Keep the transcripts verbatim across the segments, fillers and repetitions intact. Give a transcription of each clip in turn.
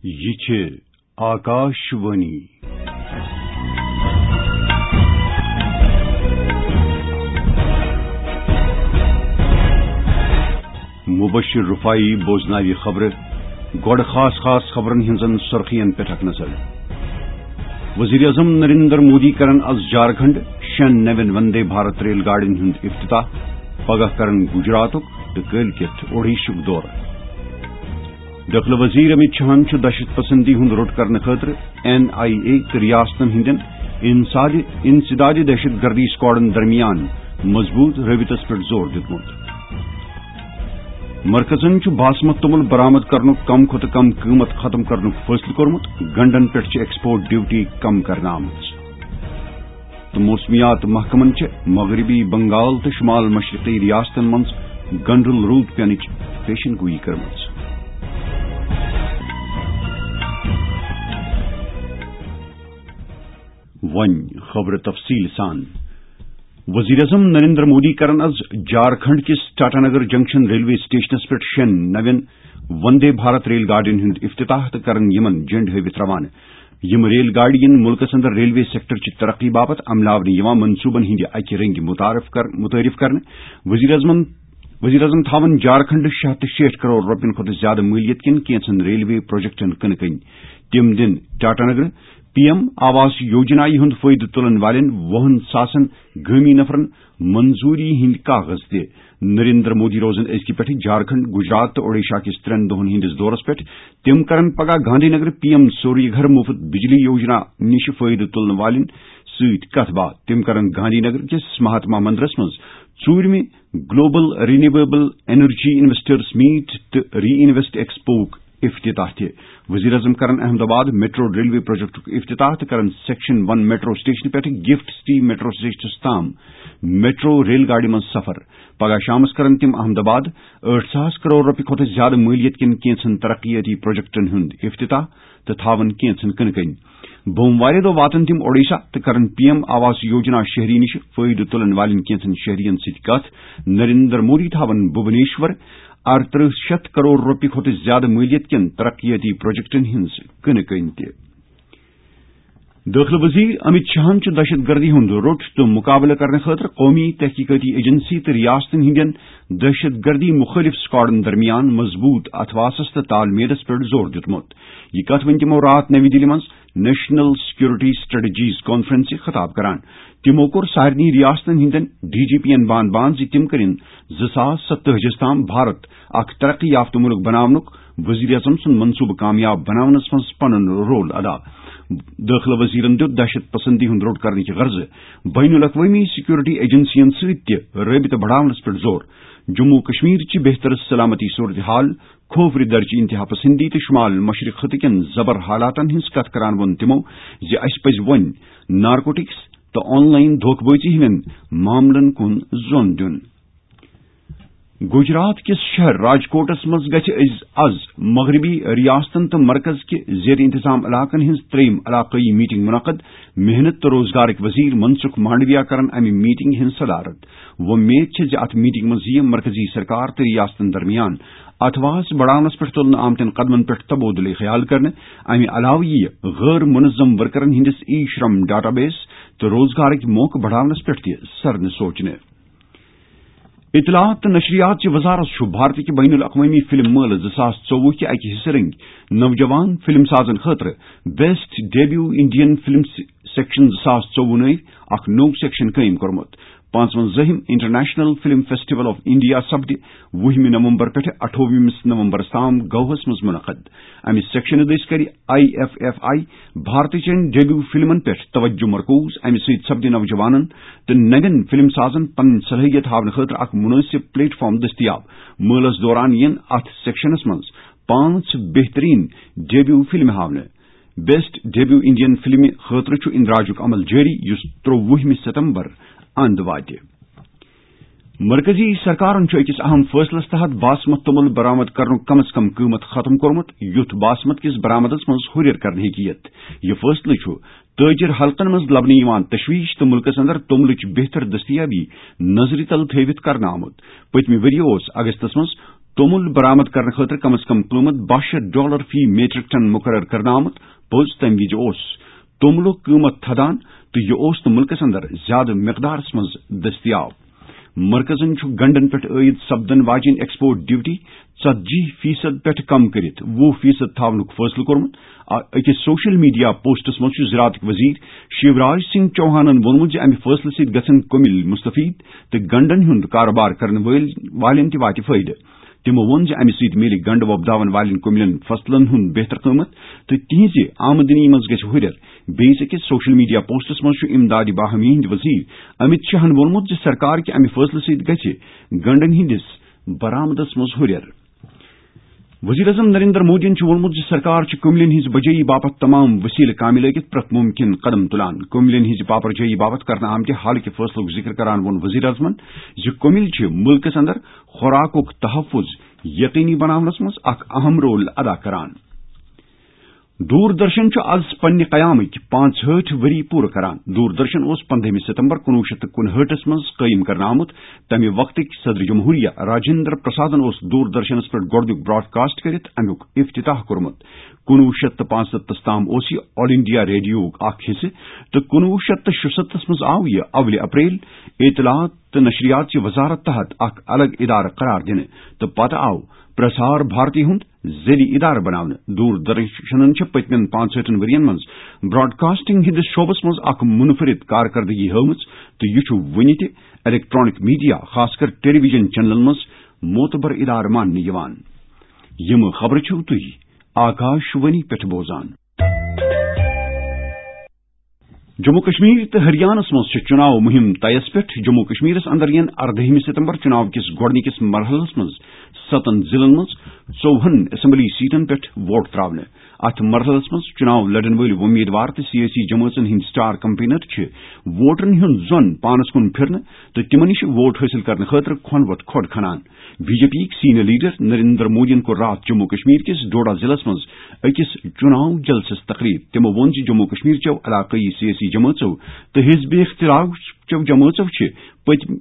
یہِ چھِ آکاش وانی۔ مبشر رفاعی بوزناوِ خبرٕ۔ گۄڈٕ خاص خاص خبرن ہٕنٛزن سُرخین پٮ۪ٹھ اکھ نظر۔ وزیر اعظم نریندر مودی کرن از جھارکھنڈ شٮ۪ن نوٮ۪ن وندے بھارت ریل گاڑین ہُنٛد افتتاح۔ پگاہ کرن گجراتُک تہٕ کٲلۍ کٮ۪تھ اوڈیشُک دورٕ۔ دٲخلہٕ وزیر امت شاہن چھُ دہشت پسندی ہُنٛد روٚٹ کرنہٕ خٲطرٕ این آئی اے تہٕ ریاستن ہٕنٛدٮ۪ن انساد-، انسداد دہشت گردی سکواڈن درمیان مضبوط رٲبطس پٮ۪ٹھ زور دیُتمُت۔ مرکزن چھُ باسمت توٚمُل برآمد کرنُک کم کھۄتہٕ کم قۭمتھ ختم کرنُک فٲصلہٕ کوٚرمُت، گنڈن پٮ۪ٹھ چھِ ایکسپورٹ ڈیوٹی کم کرنہٕ آمٕژ۔ تہٕ موسمیات محکمن چھِ مغربی بنگال تہٕ شمال مشرقی ریاستن منٛز گنڈل روٗد پینٕچ پیشن گویی کٔرمٕژ۔ وۄنۍ خبرٕ تفصیٖل سان۔ وزیر اعظم نریندر مودی کرن از جھارکھنڈ کِس ٹاٹا نگر جنکشن ریلوے سٹیشنس پٮ۪ٹھ شٮ۪ن نوٮ۪ن وندے بھارت ریل گاڑین ہُنٛد افتتاح تہٕ کرن یِمن جنڈ ہٲوِتھ روانہٕ۔ یِم ریل گاڑِ یِن مُلکس اندر ریلوے سیکٹر چہِ ترقی باپتھ عملاونہٕ یِوان منصوبن ہٕنٛدِ اکہِ رنگہِ متعارف کر-، متعارف کرنہٕ۔ وزیر اعظمن، وزیر اعظم تھاون جھارکھنڈ شےٚ ہتھ تہٕ شیٹھ کرور رۄپین کھۄتہٕ زیادٕ مٲلیت کٮ۪ن کینٛژن ریلوے پروجیکٹن کٕنہٕ کٔنۍ۔ تِم دِن ٹاٹا نگر پی ایم آواس یوجنا ہُنٛد فٲیدٕ تُلن والٮ۪ن وُہن ساسن گٲمی نفرن منظوری ہٕنٛدۍ کاغذ تہِ۔ نریندر مودی روزن أزکہِ پٮ۪ٹھٕ جھارکھنڈ، گجرات تہٕ اوڈیشہ کِس ترٛٮ۪ن دۄہن ہٕنٛدِس دورس پٮ۪ٹھ۔ تِم کرن پگاہ گاندھی نگر پی ایم سوریہ گھر مفت بجلی یوجنا نِش فٲیدٕ تُلنہٕ والٮ۪ن سۭتۍ کتھ باتھ۔ تِم کرن گاندھی نگر کِس مہاتما مندرس منٛز ژوٗرمہِ global renewable energy investors meet تہٕ ری انویسٹ ایکسپوک افتتاح تہِ۔ وزیر اعظم کرن احمد آباد میٹرو ریلوے پروجیکٹُک افتتاح تہٕ کرن سیکشن ون میٹرو سٹیشن پٮ۪ٹھ گفٹ سٹی میٹرو سٹیشنس تام میٹرو ریل گاڑِ منٛز سفر۔ پگاہ شامس کرن تِم احمد آباد ٲٹھ ساس کرور رۄپیہِ کھۄتہٕ زیادٕ مٲلیت کٮ۪ن کینٛژن ترقیٲتی پروجیکٹن ہُنٛد افتتاح تہٕ تھاون کینٛژن کٕنہٕ کٔنۍ۔ بوموارِ دۄہ واتن تِم اوڈیشہ تہٕ کرن پی ایم آواس یوجنا شہری نِش فٲیدٕ تُلن والٮ۪ن کینٛژن شہرین سۭتۍ کتھ۔ نریندر مودی تھاون بھوبنیشور ارترٕہ شیٚتھ کرور رۄپیہِ کھۄتہٕ زیادٕ مٲلیت کٮ۪ن ترقیٲتی پروجیکٹن ہٕنٛز کٕنہٕ کٔنۍ تہِ۔ دٲخلہٕ وزیر امت شاہن چھُ دہشت گردی ہُنٛد روٚٹ تہٕ مُقابلہٕ کرنہٕ خٲطرٕ قومی تحقیقاتی ایجنسی تہٕ ریاستن ہٕنٛدٮ۪ن دہشت گردی مُخٲلف سکواڈن درمیان مضبوٗط اتھواسس تہٕ تال میلس پٮ۪ٹھ زور دیُتمُت۔ یہِ کتھ ؤنۍ تِمو راتھ نٔوۍ دِلہِ منٛز نیشنل سیکورٹی سٹریٹجیز کانفرنسہِ خطاب کران۔ تِمو کوٚر سارنٕے ریاستن ہٕنٛدٮ۪ن ڈی جی پی ین بان بان زِ تِم کٔرِن زٕ ساس ستٲجی ہس تام بھارت اکھ ترقی یافتہٕ مُلک بناونُک وزیر اعظم سُنٛد منصوبہٕ کامیاب بناونس منٛز پنُن رول ادا۔ دٲخلہٕ وزیرن دیُت دہشت پسندی ہُنٛد روٚٹ کرنہٕ کہِ غرضہٕ بین الاقوٲمی سیکورٹی ایجنسین سۭتۍ تہِ رٲبطہٕ بڑاونس پٮ۪ٹھ زور۔ جموں و کشمیر چہِ بہتر سلامتی صورتحال، کھوورِ درچہِ انتہا پسندی تہٕ شمال مشرق خطہٕ کٮ۪ن زبر حالاتن ہٕنٛز کتھ کران ووٚن تِمو زِ اسہِ پزِ وۄنۍ نارکوٹکس تہٕ آن لائن دھوکہٕ بازی ہٕنٛدٮ۪ن معاملن کُن زون دیُن۔ گجرات کِس شہر راجکوٹس منٛز گژھِ أز، از مغربی ریاستن تہٕ مرکز کہِ زیر انتظام علاقن ہٕنٛز ترٛیٚیِم علاقٲیی میٹنگ منعقد۔ محنت تہٕ روزگارٕکۍ وزیر منسکھ مانڈویا کرن امہِ میٹنگ ہٕنٛز صدارت۔ وۄمید چھِ زِ اتھ میٹنگ منٛز یِیہِ مرکزی سرکار تہٕ ریاستن درمیان اتھواس بڑاونس پٮ۪ٹھ تُلنہٕ آمتٮ۪ن قدمن پٮ۪ٹھ تبادلہٕ خیال کرنہٕ۔ امہِ علاوٕ یِیہِ غٲر منظم ورکرن ہٕنٛدِس ای شرم ڈیٹا بیس تہٕ روزگارٕکۍ موقعہٕ بڑاونس پٮ۪ٹھ تہِ سرنہٕ سوچنہٕ۔ اطلاعات تہٕ نشریات چہِ وزارت چھُ بھارتٕکہِ بین الاقوٲمی فلم مٲلہٕ زٕ ساس ژوٚوُہ کہِ اکہِ حصہٕ رنگۍ نوجوان فلم سازن خٲطرٕ best debut Indian film section زٕ ساس ژوٚوُہ نٲوۍ اکھ نوٚو سیکشن قٲیِم کوٚرمُت۔ پانٛژوَنزٲہِم international film festival of India سپدِ وُہمہِ نومبر پٮ۪ٹھٕ اَٹھووُہمِس نومبرس تام گواہس منٛز منعقد۔ امہِ سیکشنہٕ دٔسۍ کرِ آئی ایف ایف آئی بھارتٕچن ڈیبیو فلمن پٮ۪ٹھ توجہ مرکوز۔ امہِ سۭتۍ سپدِ نوجوانن تہٕ نوٮ۪ن فلم سازن پنٕنۍ صلٲحیت ہاونہٕ خٲطرٕ اکھ مناسب پلیٹ فارم دٔستیاب۔ مٲلس دوران یِن اتھ سیکشنس منٛز پانٛژھ بہترین ڈیبیو فلمہٕ ہاونہٕ۔ بیسٹ ڈیبیو انڈین فلمہِ خٲطرٕ چھُ اندراجُک عمل جٲری، یُس ترٛووُہمہِ ستمبر اند واتہِ۔ مرکزی سرکارن چھُ أکِس اہم فٲصلس تحت باسمت توٚمُل برآمد کرنُک کم از کم قۭمتھ ختم کوٚرمُت، یُتھ باسمت کِس برآمدس منٛز ہُرٮ۪ر کرنہٕ ہیٚکہِ یِتھ۔ یہِ فٲصلہٕ چھُ تٲجِر حلقن منٛز لبنہٕ یِوان تشویش تہٕ مُلکس اندر توٚملٕچ بہتر دٔستیابی نظرِ تل تھٲوِتھ کرنہٕ آمُت۔ پٔتمہِ ؤرۍ یہِ اوس اگستس منٛز توٚمُل برآمد کرنہٕ خٲطرٕ کم از کم قۭمتھ باہ شیتھ ڈالر فی میٹرک ٹن مقرر کرنہٕ آمُت۔ پوٚز تَمہِ وِزِ اوس توٚملُک قۭمتھ تھدان تہٕ یہِ اوس نہٕ مُلکَس اندر زیادٕ مقدارَس منٛز دٔستیاب۔ مرکزَن چھُ گنڈَن پٮ۪ٹھ عٲید سپدَن واجٮ۪ن ایکسپورٹ ڈیوٹی ژتجی فیصد پٮ۪ٹھ کم کٔرِتھ وُہ فیصد تھاونُک فٲصلہٕ کوٚرمُت۔ آ، أکِس سوشل میڈیا پوسٹَس منٛز چھُ زراعتٕکۍ وزیر شیوراج سنگھ چوہانَن ووٚنمُت زِ اَمہِ فٲصلہٕ سۭتۍ گژھن کٔمِلۍ مستفید تہٕ گنڈَن ہُنٛد کارٕبار کرن وٲلۍ والٮ۪ن تہِ واتہِ فٲیدٕ۔ تِمو ووٚن زِ اَمہِ سۭتۍ میلہِ گنڈٕ وۄپداون والٮ۪ن کٔمِلٮ۪ن فصلن ہُنٛد بہتر قۭمتھ تہٕ تِہنٛزِ آمدنی منٛز گژھِ ہُرٮ۪ر۔ بیٚیِس أکِس سوشل میڈیا پوسٹَس منٛز چھُ امدادِ باہمی ہٕنٛدۍ وزیر امت شاہن ووٚنمُت زِ سرکار کہِ اَمہِ فٲصلہٕ سۭتۍ گژھِ گنڈَن ہٕنٛدِس برآمدَس منٛز ہُرٮ۪ر۔ وزیر اعظم نریندر مودیَن چھُ ووٚنمُت زِ سرکار چھِ کٔمِلٮ۪ن ہٕنٛز بجٲیی باپتھ تمام وسیلہٕ کامہِ لٲگِتھ پرٛٮ۪تھ مُمکِن قدم تُلان۔ کٔمِلٮ۪ن ہٕنٛزِ پاپرجٲیی باپتھ کرنہٕ آمتہِ حل کہِ فٲصلُک ذِکر کران ووٚن وزیر اعظمن زِ کٔمِلۍ چھِ مُلکَس اندر خوراکُک تحفظ یقینی بناونس منٛز اکھ اہم رول ادا کران۔ دوردرشن چھُ از پننہِ قیامٕکۍ پانٛژہٲٹھ ؤری پوٗرٕ کران۔ دوردرشن اوس پندہمہِ ستمبر کُنوُہ شیٚتھ تہٕ کُنہٲٹھس منٛز قٲیِم کرنہٕ آمُت۔ تمہِ وقتٕکۍ صدر جمہوریہ راجندر پرسادن اوس دوردرشنس پٮ۪ٹھ گۄڈٕنیُک براڈکاسٹ کٔرِتھ امیُک افتتاح کوٚرمُت۔ کُنوُہ شیٚتھ تہٕ پانٛژستتھس تام اوس یہِ آل انڈیا ریڈیوہُک اکھ حصہٕ تہٕ کُنوُہ شیٚتھ تہٕ شُستتھس منٛز آو یہِ اولہِ اپریل اطلاعات تہٕ نشریات چہِ وزارت تحت اکھ الگ ادارٕ قرار دِنہٕ تہٕ پتہٕ آو پرسار بھارتی ہُنٛد ذیلی ادارٕ بناونہٕ۔ دوردرشنن چھِ پٔتمٮ۪ن پانٛژہٲٹھن ؤرین منٛز براڈکاسٹنگ ہٕنٛدِس شعبس منٛز اکھ منفرد کارکردگی ہٲومٕژ تہٕ یہِ چھُ وُنہِ تہِ الیکٹرانک میڈیا، خاص کر ٹیلی ویژن چینلن منٛز معتبر ادارٕ ماننہٕ یِوان۔ یِم خبرٕ چھِو تُہۍ آکاش وانی پٮ۪ٹھ بوزان۔ جموں کشمیر تہٕ ہریانس منٛز چھِ چُناو مُہِم طیس پٮ۪ٹھ۔ جموں کشمیرس اندر یِن اردہمہِ ستمبر چُناو کِس گۄڈٕنِکِس مرحلس منٛز ستن ضلعن منٛز ژووُہن اسمبلی سیٹن پٮ۪ٹھ ووٹ تراونہٕ۔ اتھ مرحلس منٛز چُناو لڑن وٲلۍ وۄمیدوار تہٕ سیٲسی جمٲژن ہٕنٛدۍ سٹار کمپینر چھِ ووٹرن ہُنٛد ظۄن پانس کُن پھِرنہٕ تہٕ تِمن نِش ووٹ حٲصِل کرنہٕ خٲطرٕ کھۄن وتھ کھۄڈ کھنان۔ بی جے پی یِکۍ سینئر لیڈر نریندر مودیَن کوٚر راتھ جموں کشمیر کِس ڈوڈا ضلعس منٛز أکِس چُناو جلسس تقریب۔ تِمو ووٚن زِ جموں کشمیر چٮ۪و علاقٲیی سیٲسی جمٲژو تہٕ حزب اختلاف چٮ۪و جمٲژو چھِ پٔتۍ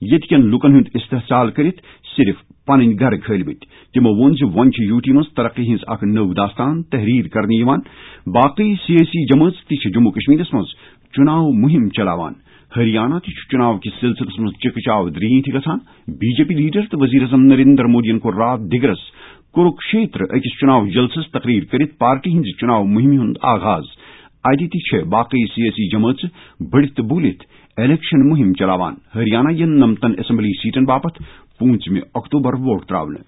ییٚتہِ کٮ۪ن لوٗکن ہُنٛد استحصال کٔرِتھ صرف پنٕنۍ گرٕ کھٲلمٕتۍ۔ تِمو ووٚن زِ وۄنۍ چھِ یوٗ ٹی منٛز ترقی ہٕنٛز اکھ نٔو داستان تحریر کرنہٕ یِوان۔ باقٕے سیٲسی جمٲژ تہِ چھِ جموں کشمیرس منٛز چُناو مُہِم چلاوان۔ ہریانہ تہِ چھُ چُناو کِس سلسلس منٛز چِکہٕ چاو درینٹھ گژھان۔ بی جے پی لیڈر تہٕ وزیر اعظم نریندر مودیَن کوٚر راتھ دِگرس کُرُکشیتر أکِس چُناو جلسس تقریر کٔرِتھ پارٹی ہٕنٛزِ چُناو مُہِمہِ ہُنٛد آغاز۔ اَتہِ تہِ چھِ باقٕے سیٲسی جمٲژٕ بٔڑِتھ تہٕ بوٗلِتھ الیکشن مُہِم چلاوان۔ ہریانہ یِن نَمتَن اسمبلی سیٹن باپتھ پوٗنٛژمہِ اکتوبر ووٹ تراونہٕ۔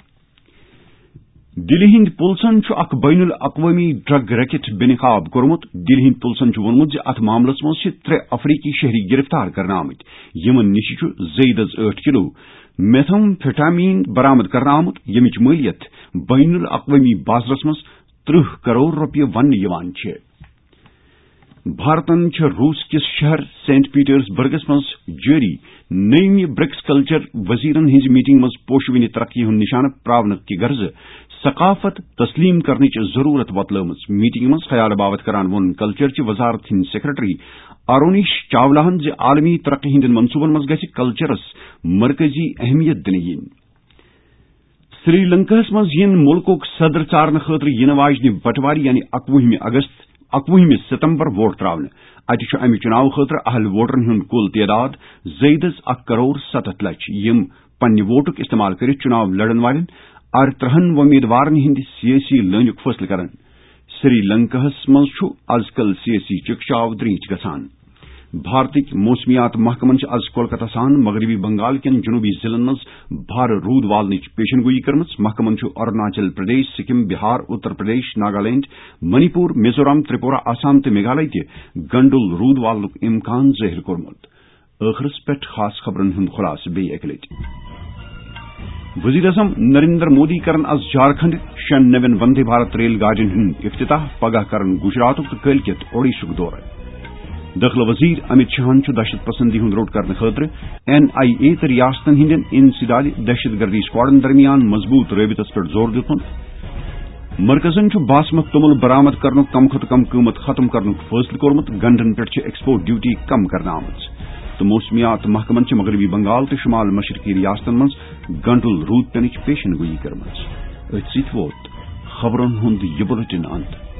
دِلہِ ہٕنٛدۍ پُلسن چھُ اکھ بین الاقوٲمی ڈرگ ریکٹ بے نقاب کوٚرمُت۔ دِلہِ ہٕنٛدۍ پُلسن چھُ ووٚنمُت زِ اتھ معاملس منٛز چھِ ترٛےٚ افریقی شہری گرفتار کرنہٕ آمٕتۍ، یِمن نِش چھُ زٲیدس ٲٹھ کلو میتھمفیٹامین برآمد کرنہٕ آمُت، ییٚمِچ مٲلیت بین الاقوٲمی بازرس منٛز ترٕٛہ کرور رۄپیہِ وننہٕ یِوان چھِ۔ بھارتن چھِ روٗس کِس شہر سینٹ پیٹرس برگس منٛز جٲری نٔیمہِ برکس کلچر وزیرن ہٕنٛزِ میٹنگ منٛز پوشہٕ وٕنہِ ترقی ہُنٛد نشانہٕ پراونہٕ کہِ غرضہٕ ثقافت تسلیم کرنٕچ ضروٗرت وۄتلٲومٕژ۔ میٹنگ منٛز خیال باوت کران ووٚن کلچر چہِ وزارت ہٕنٛدۍ سیکرٹری آرونیش چاولاہن زِ عالمی ترقی ہٕنٛدٮ۪ن منصوٗبن منٛز گژھِ کلچرس مرکزی اہمیت دِنہٕ یِنۍ۔ سری لنکاہس منٛز یِن مُلکُک صدر ژارنہٕ خٲطرٕ یِنہٕ واجنہِ بٹوارِ یعنی اکوُہمہِ اگست، اکوُہمہِ ستمبر ووٹ تراونہٕ۔ اتہِ چھُ امہِ چُناوٕ خٲطرٕ اہل ووٹرن ہُنٛد کُل تعداد زٲیدس اکھ کرور ستتھ لچھ، یِم پننہِ ووٹُک استعمال کٔرِتھ چُناو لڑن والٮ۪ن ارترہن وۄمیدوارن ہٕنٛدِ سیٲسی لٲنُک فٲصلہٕ کرن۔ سری لنکاہس منٛز چھُ از کل سیٲسی چکچاو درینٹھ گژھان۔ بھارتٕکۍ موسمیات محکمن چھِ از کولکتہ سان مغربی بنگال کٮ۪ن جنوبی ضلعن منٛز بھارٕ روٗد والنٕچ پیشن گویی کٔرمٕژ۔ محکمن چھُ اروناچل پردیش، سکم، بہار، اتر پردیش، ناگالینڈ، منی پور، میزورام، تریپورہ، آسام تہٕ میگھالے تہِ گنڈُل روٗد والنُک امکان ظٲہِر کوٚرمُت۔ ٲخرس پٮ۪ٹھ خاص خبرن ہُنٛد خلاصہٕ بیٚیہِ اکہِ لٹہِ۔ وزیر اعظم نریندر مودی کرن از جھارکھنڈ شٮ۪ن نوٮ۪ن وندے بھارت ریل گاڑین ہُنٛد افتتاح، پگاہ کرن گجراتُک تہٕ کٲلۍ کٮ۪تھ اوڈیشُک دورٕ۔ دٲخلہٕ وزیر امت شاہن چھُ دہشت پسندی ہُنٛد روٚٹ کرنہٕ خٲطرٕ این آئی اے تہٕ ریاستن ہٕنٛدٮ۪ن انسدادی دہشت گردی اسکواڈن درمیان مضبوط رٲبطس پٮ۪ٹھ زور دیُتمُت۔ مرکزن چھُ باسمت توٚمُل برآمد کرنُک کم کھۄتہٕ کم قۭمتھ ختم کرنُک فٲصلہٕ کوٚرمُت، گنڈن پٮ۪ٹھ چھِ ایکسپورٹ ڈیوٹی کم کرنہٕ آمٕژ۔ تہٕ موسمیات محکمن چھِ مغربی بنگال تہٕ شمال مشرقی ریاستن منٛز گنڈل روٗد پینٕچ پیشن گویی کٔرمٕژ۔ أتھۍ سۭتۍ ووت خبرن ہُنٛد یہِ بُلٹن انت۔